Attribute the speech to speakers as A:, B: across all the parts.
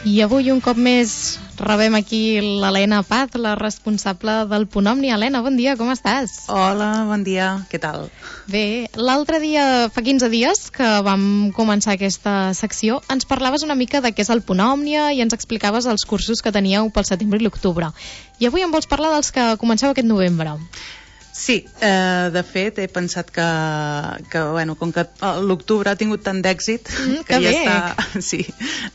A: I avui un cop més rebem aquí l'Helena Paz, la responsable del Punt Òmnia. Helena, bon dia, com estàs?
B: Hola, bon dia, què tal?
A: Bé, l'altre dia, fa 15 dies que vam començar aquesta secció, ens parlaves una mica de què és el Punt Òmnia i ens explicaves els cursos que teníeu pel setembre i l'octubre. I avui em vols parlar dels que comenceu aquest novembre.
B: Sí, de fet he pensat que bueno, com que l'octubre ha tingut tant d'èxit que ja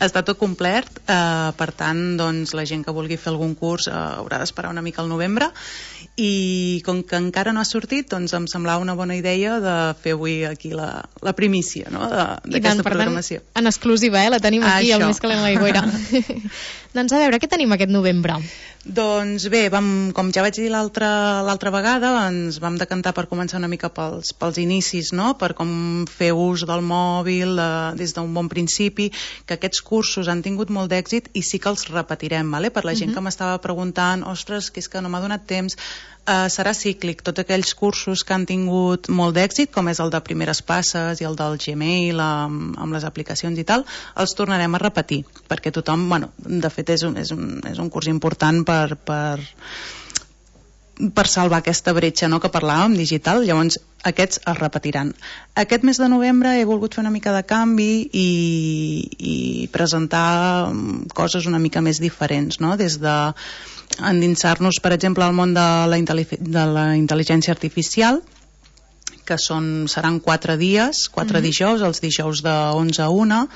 B: està tot complert, per tant doncs, la gent que vulgui fer algun curs haurà d'esperar una mica al novembre, i com que encara no ha sortit, doncs em semblava una bona idea de fer avui aquí la primícia, no? d'aquesta programació.
A: En exclusiva, la tenim aquí,
B: Això.
A: El més calent a l'aigüera. Doncs a veure, què tenim aquest novembre?
B: Doncs bé, com ja vaig dir l'altra vegada, ens vam decantar per començar una mica pels inicis, no? Per com fer ús del mòbil des d'un bon principi, que aquests cursos han tingut molt d'èxit i sí que els repetirem, vale? Per la gent que m'estava preguntant, ostres, que és que no m'ha donat temps, serà cíclic. Tots aquells cursos que han tingut molt d'èxit, com és el de primeres passes i el del Gmail amb les aplicacions i tal, els tornarem a repetir, perquè tothom, bueno, de fet és un curs important per salvar aquesta bretxa, no?, que parlàvem, digital. Llavors aquests es repetiran. Aquest mes de novembre he volgut fer una mica de canvi i presentar coses una mica més diferents, no?, des de endinsar-nos, per exemple, al món de la intel·ligència artificial, que seran 4 dies, 4 dijous, els dijous de 11 a 1,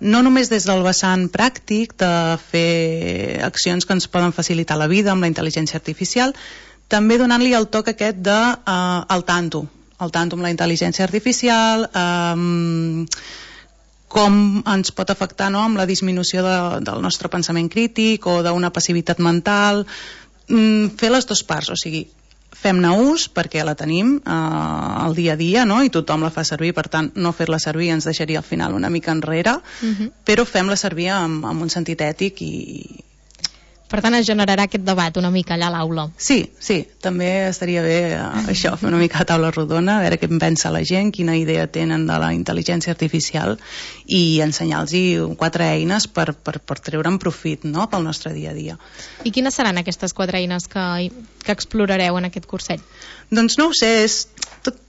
B: no només des del vessant pràctic de fer accions que ens poden facilitar la vida amb la intel·ligència artificial, també donant-li el toc aquest de al tanto amb la intel·ligència artificial, com ens pot afectar, no?, amb la disminució del nostre pensament crític o d'una passivitat mental, fer les dues parts, o sigui, fem-ne ús perquè la tenim al dia a dia, no?, i tothom la fa servir, per tant no fer-la servir ens deixaria al final una mica enrere, però fem-la servir amb un sentit ètic i...
A: Per tant, es generarà aquest debat una mica allà a l'aula.
B: Sí, també estaria bé això, fer una mica de taula rodona, a veure què en pensa la gent, quina idea tenen de la intel·ligència artificial i ensenyar-los 4 eines per treure'n profit, no?, pel nostre dia a dia.
A: I quines seran aquestes 4 eines que explorareu en aquest curset?
B: Doncs no ho sé,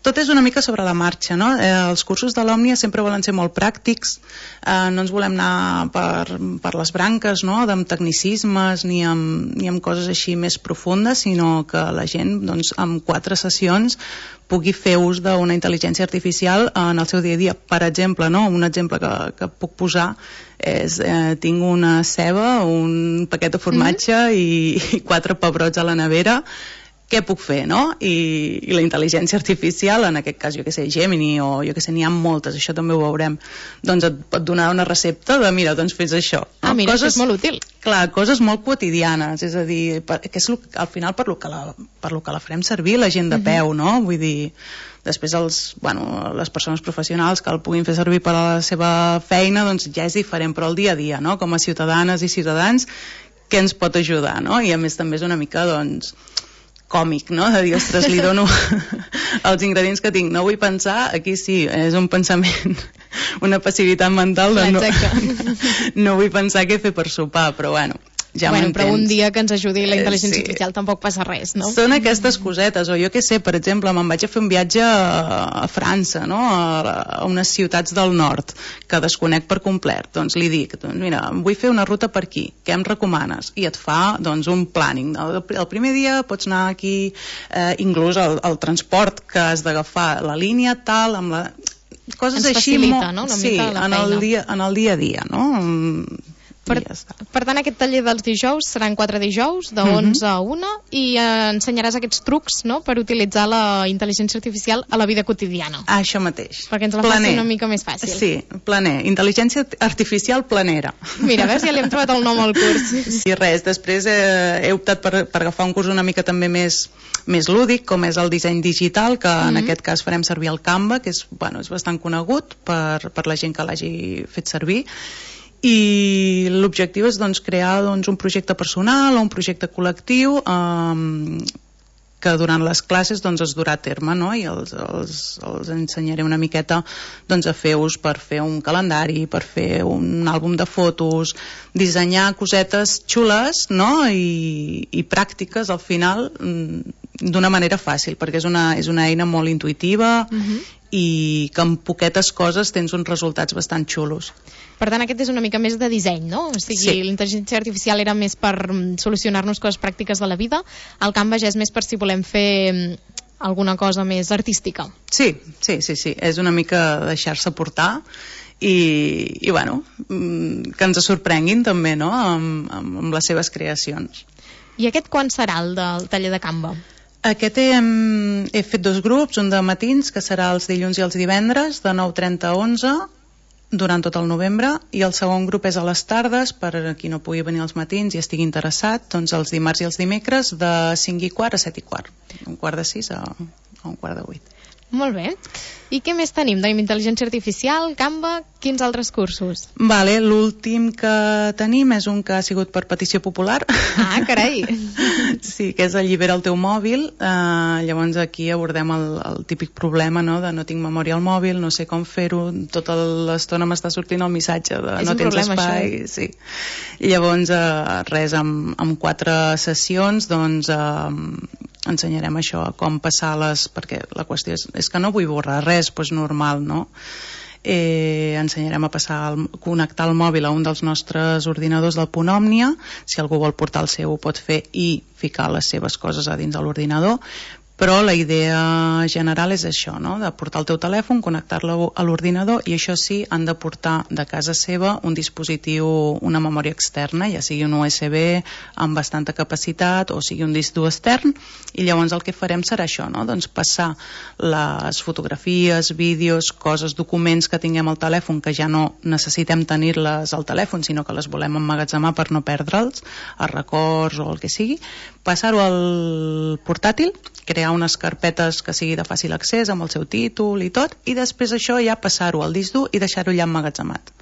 B: tot és una mica sobre la marxa, no? Els cursos de l'Òmnia sempre volen ser molt pràctics, no ens volem anar per les branques, no?, amb tecnicismes ni amb coses així més profundes, sinó que la gent, doncs, amb 4 sessions pugui fer ús d'una intel·ligència artificial en el seu dia a dia. Per exemple, no?, un exemple que puc posar és, tinc una ceba, un paquet de formatge i 4 pebrots a la nevera. Què puc fer, no? I la intel·ligència artificial, en aquest cas, jo que sé, Gemini, o jo que sé, n'hi ha moltes, això també ho veurem, doncs et pot donar una recepta de, mira, doncs fes això.
A: Ah, mira, això és molt útil.
B: Clar, coses molt quotidianes, és a dir, que és al final per lo que la farem servir la gent de peu, no? Vull dir, després les persones professionals que el puguin fer servir per a la seva feina, doncs ja és diferent, però el dia a dia, no?, com a ciutadanes i ciutadans, què ens pot ajudar, no? I a més també és una mica, doncs, còmic, no?, de dir, ostres, li dono els ingredients que tinc, no vull pensar, aquí sí, és un pensament, una passivitat mental de no vull pensar què fer per sopar, però bueno, ja m'entens.
A: Però un dia que ens ajudi la intel·ligència artificial tampoc passa res, no?
B: Són aquestes cosetes, o jo què sé, per exemple, me'n vaig a fer un viatge a França, no?, a unes ciutats del nord, que desconec per complet, doncs li dic, doncs mira, vull fer una ruta per aquí, què em recomanes? I et fa, doncs, un planning. El primer dia pots anar aquí, inclús el transport que has d'agafar, la línia tal, amb la... coses
A: ens
B: així
A: facilita, no?, una mica la feina.
B: En el dia a dia, no?
A: Per tant, aquest taller dels dijous seran 4 dijous, de 11 a 1, i ensenyaràs aquests trucs, no?, per utilitzar la intel·ligència artificial a la vida quotidiana.
B: Això mateix.
A: Perquè ens la faci una mica més fàcil.
B: Sí, planer. Intel·ligència artificial planera.
A: Mira, a veure si ja li hem trobat el nom al curs.
B: I res, després he optat per agafar un curs una mica també més lúdic, com és el disseny digital, que en aquest cas farem servir el Canva, que és bastant conegut per la gent que l'hagi fet servir, i l'objectiu és, doncs, crear, doncs, un projecte personal o un projecte col·lectiu que durant les classes doncs, es durà a terme, no? I els ensenyaré una miqueta doncs, a fer ús per fer un calendari, per fer un àlbum de fotos, dissenyar cosetes xules, no? I pràctiques al final d'una manera fàcil, perquè és una eina molt intuïtiva i que amb poquetes coses tens uns resultats bastant xulos.
A: Per tant, aquest és una mica més de disseny, no? O sigui, sí. L'intel·ligència artificial era més per solucionar-nos coses pràctiques de la vida, el Canva ja és més per si volem fer alguna cosa més artística.
B: Sí, és una mica deixar-se portar i bueno, que ens sorprenguin també, no?, amb les seves creacions.
A: I aquest quan serà, el del taller de Canva?
B: Aquest he fet 2 grups, un de matins, que serà els dilluns i els divendres, de 9:30 a 11, durant tot el novembre, i el segon grup és a les tardes, per a qui no pugui venir als matins i estigui interessat, doncs els dimarts i els dimecres de 5:15 a 7:15, un quart de 6 a un quart de 8.
A: Molt bé. I què més tenim? Tenim intel·ligència artificial, Canva, quins altres cursos?
B: Vale, l'últim que tenim és un que ha sigut per petició popular.
A: Ah, carai!
B: Sí, que és Allibera el teu mòbil. Llavors aquí abordem el típic problema, no?, de no tinc memòria al mòbil, no sé com fer-ho, tota l'estona m'està sortint el missatge de no tens espai. Sí. Llavors, res, amb 4 sessions, doncs ensenyarem això, com passar-les, perquè la qüestió és que no vull borrar res, doncs normal, no? Ensenyarem a connectar el mòbil a un dels nostres ordinadors del Punt Òmnia, si algú vol portar el seu ho pot fer i ficar les seves coses a dins de l'ordinador, però la idea general és això, no?, de portar el teu telèfon, connectar-lo a l'ordinador, i això sí, han de portar de casa seva un dispositiu, una memòria externa, ja sigui un USB amb bastanta capacitat o sigui un disc dur extern, i llavors el que farem serà això, no?, doncs passar les fotografies, vídeos, coses, documents que tinguem al telèfon que ja no necessitem tenir-les al telèfon, sinó que les volem emmagatzemar per no perdre'ls, els records o el que sigui, passar-ho al portàtil, crear unes carpetes que sigui de fàcil accés amb el seu títol i tot, i després això ja passar-ho al disc dur i deixar-ho ja emmagatzemat.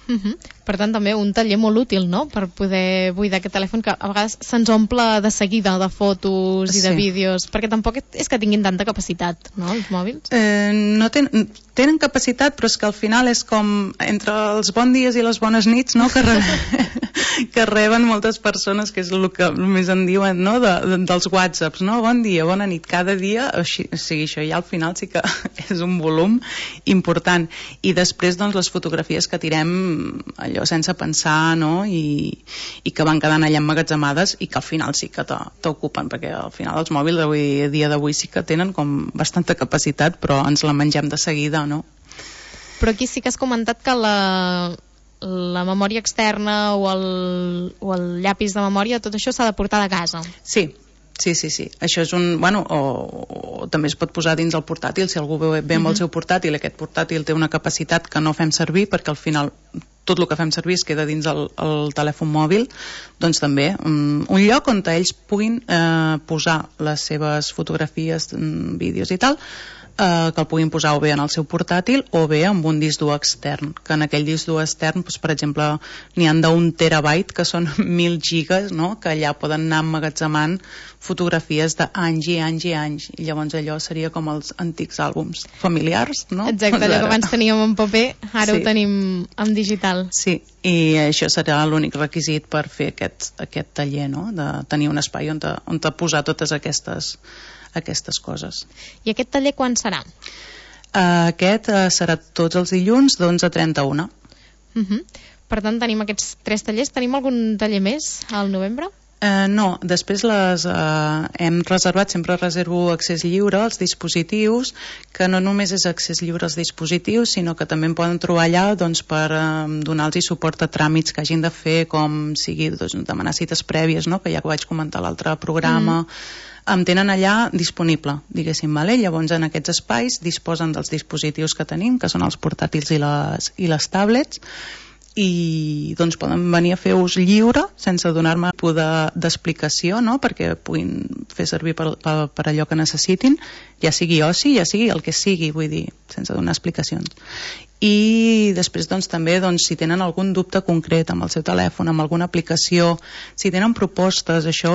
A: Per tant, també un taller molt útil, no?, per poder buidar aquest telèfon que a vegades se'ns omple de seguida de fotos i de vídeos, perquè tampoc és que tinguin tanta capacitat, no?, els mòbils.
B: No tenen capacitat, però és que al final és com entre els bons dies i les bones nits, no?, que reben moltes persones, que és el que més en diuen, no?, dels whatsapps, no?, bon dia, bona nit, cada dia, o sigui, això ja al final sí que és un volum important. I després, doncs, les fotografies que tirem allò sense pensar, no?, i que van quedant allà emmagatzemades i que al final sí que t'ocupen, perquè al final els mòbils a dia d'avui sí que tenen com bastanta capacitat, però ens la mengem de seguida, no?
A: Però aquí sí que has comentat que la memòria externa o el llapis de memòria, tot això s'ha de portar de casa.
B: Sí. Això és un... Bueno, o també es pot posar dins el portàtil, si algú ve amb el seu portàtil, aquest portàtil té una capacitat que no fem servir, perquè al final tot el que fem servir es queda dins el telèfon mòbil, doncs també un lloc on ells puguin posar les seves fotografies, vídeos i tal, que el puguin posar o bé en el seu portàtil o bé amb un disc dur extern, que en aquell disc dur extern, doncs, per exemple, n'hi han d'1 terabyte, que són 1.000 gigas, no?, que allà poden anar emmagatzemant fotografies d'anys i anys i anys, i llavors allò seria com els antics àlbums familiars, no?
A: Exacte, allò que abans teníem en paper, ara ho tenim en digital.
B: Sí, i això serà l'únic requisit per fer aquest taller, no?, de tenir un espai on posar totes aquestes coses.
A: I aquest taller quan serà?
B: Aquest serà tots els dilluns d'11 a 31.
A: Per tant, tenim aquests 3 tallers. Tenim algun taller més al novembre?
B: No, després hem reservat, sempre reservo accés lliure als dispositius, que no només és accés lliure als dispositius, sinó que també en poden trobar allà, doncs, per donar-los suport a tràmits que hagin de fer, com sigui, doncs, demanar cites prèvies, no?, que ja ho vaig comentar a l'altre programa. Em tenen allà disponible, diguéssim, vale? Llavors en aquests espais disposen dels dispositius que tenim, que són els portàtils i les tablets, i doncs poden venir a fer ús lliure sense donar-me d'explicació, no? Perquè puguin fer servir per allò que necessitin, ja sigui oci, ja sigui el que sigui, vull dir, sense donar explicacions. I després doncs, també si tenen algun dubte concret amb el seu telèfon, amb alguna aplicació, si tenen propostes, això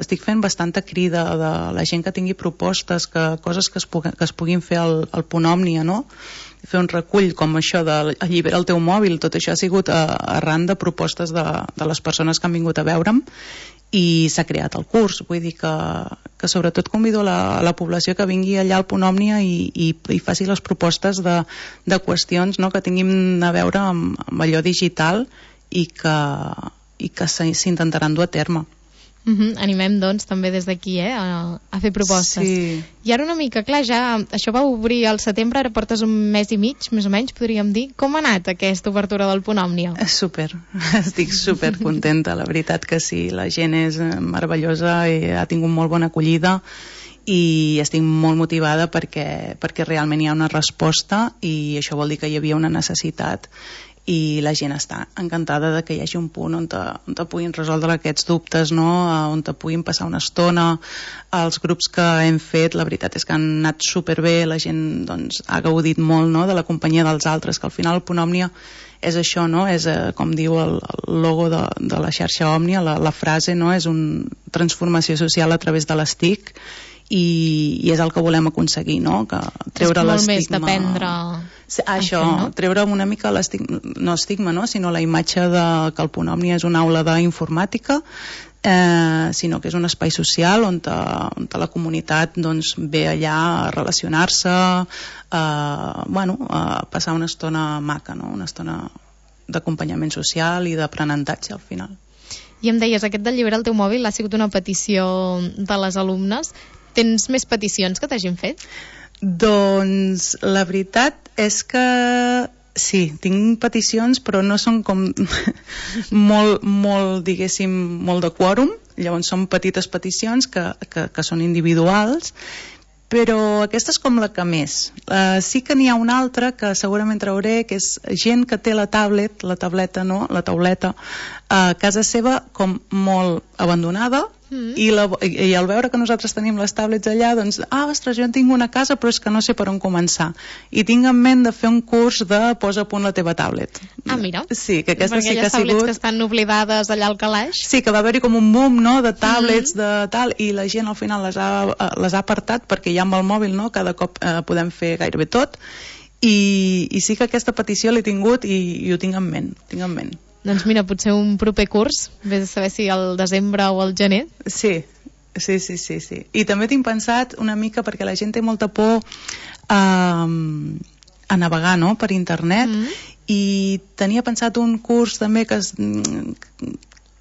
B: estic fent bastanta crida de la gent que tingui propostes, coses que es puguin fer al Punt Òmnia, no? Fer un recull com això de allibera el teu mòbil, tot això ha sigut arran de propostes de les persones que han vingut a veure'm i s'ha creat el curs. Vull dir que sobretot convido la població que vingui allà al Punt Òmnia i faci les propostes de qüestions, no?, que tinguin a veure amb allò digital i que s'intentaran dur a terme.
A: Animem, doncs, també des d'aquí a fer propostes.
B: Sí.
A: I ara una mica, clar, ja això va obrir al setembre, ara portes un mes i mig, més o menys, podríem dir. Com ha anat aquesta obertura del Punt Òmnia?
B: Súper, estic super contenta, la veritat que sí, la gent és meravellosa i ha tingut molt bona acollida i estic molt motivada perquè realment hi ha una resposta i això vol dir que hi havia una necessitat i la gent està encantada de que hi hagi un punt on puguin resoldre aquests dubtes, no? On puguin passar una estona. Els grups que hem fet, la veritat és que han anat superbé, la gent doncs, ha gaudit molt, no?, de la companyia dels altres, que al final el Punt Òmnia és això, no? És, com diu el logo de la xarxa Òmnia, la frase, no?, és una transformació social a través de les TIC i és el que volem aconseguir, no? Que treure l'estigma.
A: És molt més d'aprendre...
B: Això, no? Treure una mica l'estigma, no? Sinó la imatge que el Punt Òmnia és una aula d'informàtica, sinó que és un espai social on la comunitat doncs, ve allà a relacionar-se, a passar una estona maca, no? Una estona d'acompanyament social i d'aprenentatge al final.
A: I em deies, aquest d'alliberar el teu mòbil ha sigut una petició de les alumnes. Tens més peticions que t'hagin fet?
B: Doncs la veritat és que sí, tinc peticions, però no són com molt, diguéssim, molt de quòrum. Llavors són petites peticions que són individuals, però aquesta és com la que més. Sí que n'hi ha una altra que segurament trauré, que és gent que té la tauleta a casa seva com molt abandonada, i al veure que nosaltres tenim les tablets allà, doncs, ostres, jo en tinc una a casa però és que no sé per on començar i tinc en ment de fer un curs de posa a punt la teva tablet.
A: Mira,
B: sí, que aquesta sí que ha sigut...
A: tablets que estan oblidades allà al calaix.
B: Sí, que va haver-hi com un boom, no?, de tablets, de tal, i la gent al final les ha apartat perquè ja amb el mòbil, no?, cada cop podem fer gairebé tot, i sí que aquesta petició l'he tingut i ho tinc en ment.
A: Doncs mira, potser un proper curs, vés a saber si al desembre o al gener.
B: Sí. I també tinc pensat una mica, perquè la gent té molta por a navegar, no?, per internet, i tenia pensat un curs també que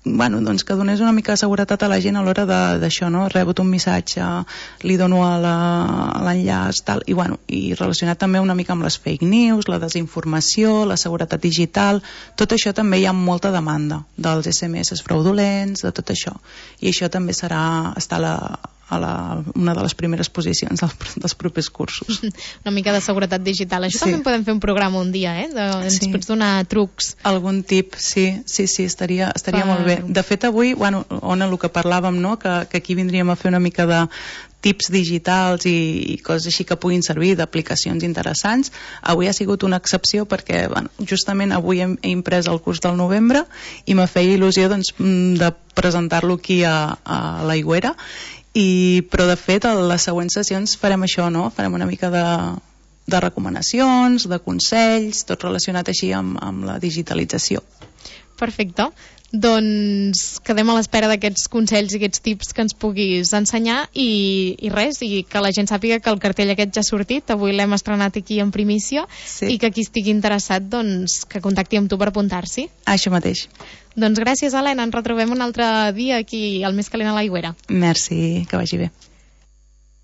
B: donés una mica de seguretat a la gent a l'hora d'això, no? Rebut un missatge, li dono a l'enllaç, tal, i relacionat també una mica amb les fake news, la desinformació, la seguretat digital, tot això també hi ha molta demanda dels SMS fraudulents, de tot això, i això també està una de les primeres posicions dels propers cursos.
A: Una mica de seguretat digital. Això també podem fer un programa un dia, ens pots donar trucs.
B: Algun tip, sí, estaria molt bé. De fet, avui, on el que parlàvem, no?, que aquí vindríem a fer una mica de tips digitals i coses així que puguin servir, d'aplicacions interessants. Avui ha sigut una excepció perquè justament avui he imprès el curs del novembre i m'ha feia il·lusió de presentar-lo aquí a l'Aigüera, però de fet a les següents sessions farem això, no? Farem una mica de recomanacions, de consells, tot relacionat així amb la digitalització.
A: Perfecte. Doncs quedem a l'espera d'aquests consells i aquests tips que ens puguis ensenyar i res, i que la gent sàpiga que el cartell aquest ja ha sortit, avui l'hem estrenat aquí en primícia, i que qui estigui interessat doncs que contacti amb tu per apuntar-s'hi.
B: Això mateix.
A: Doncs gràcies, Helena, ens retrobem un altre dia aquí al Més Calent a l'Aigüera.
B: Merci, que vagi bé.